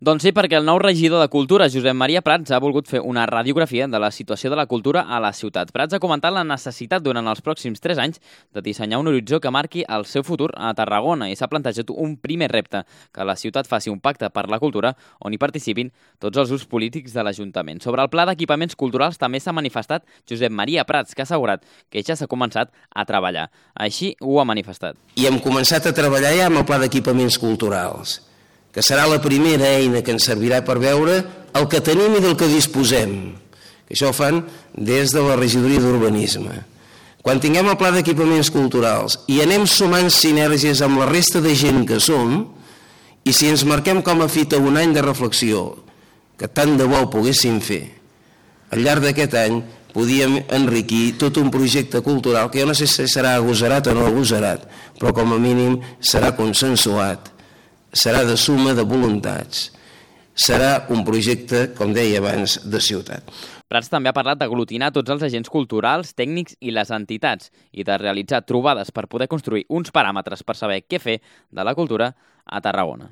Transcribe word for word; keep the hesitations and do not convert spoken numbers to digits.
Doncs sí, perquè el nou regidor de Cultura, Josep Maria Prats, ha volgut fer una radiografia de la situació de la cultura a la ciutat. Prats ha comentat la necessitat durant els pròxims tres anys de dissenyar un horitzó que marqui el seu futur a Tarragona i s'ha plantejat un primer repte, que la ciutat faci un pacte per la cultura on hi participin tots els grups polítics de l'Ajuntament. Sobre el pla d'equipaments culturals també s'ha manifestat Josep Maria Prats, que ha assegurat que ja s'ha començat a treballar. Així ho ha manifestat. I hem començat a treballar ja amb el pla d'equipaments culturals, que serà la primera eina que ens servirà per veure el que tenim i del que disposem. Que això ho fan des de la regidoria d'urbanisme. Quan tinguem el pla d'equipaments culturals i anem sumant sinergies amb la resta de gent que som, i si ens marquem com a fita un any de reflexió, que tant de bo ho poguéssim fer, al llarg d'aquest any podíem enriquir tot un projecte cultural que jo no sé si serà agosarat o no agosarat, però com a mínim serà consensuat, serà de suma de voluntats, serà un projecte, com deia abans, de ciutat. Prats també ha parlat d'aglutinar tots els agents culturals, tècnics i les entitats i de realitzar trobades per poder construir uns paràmetres per saber què fer de la cultura a Tarragona.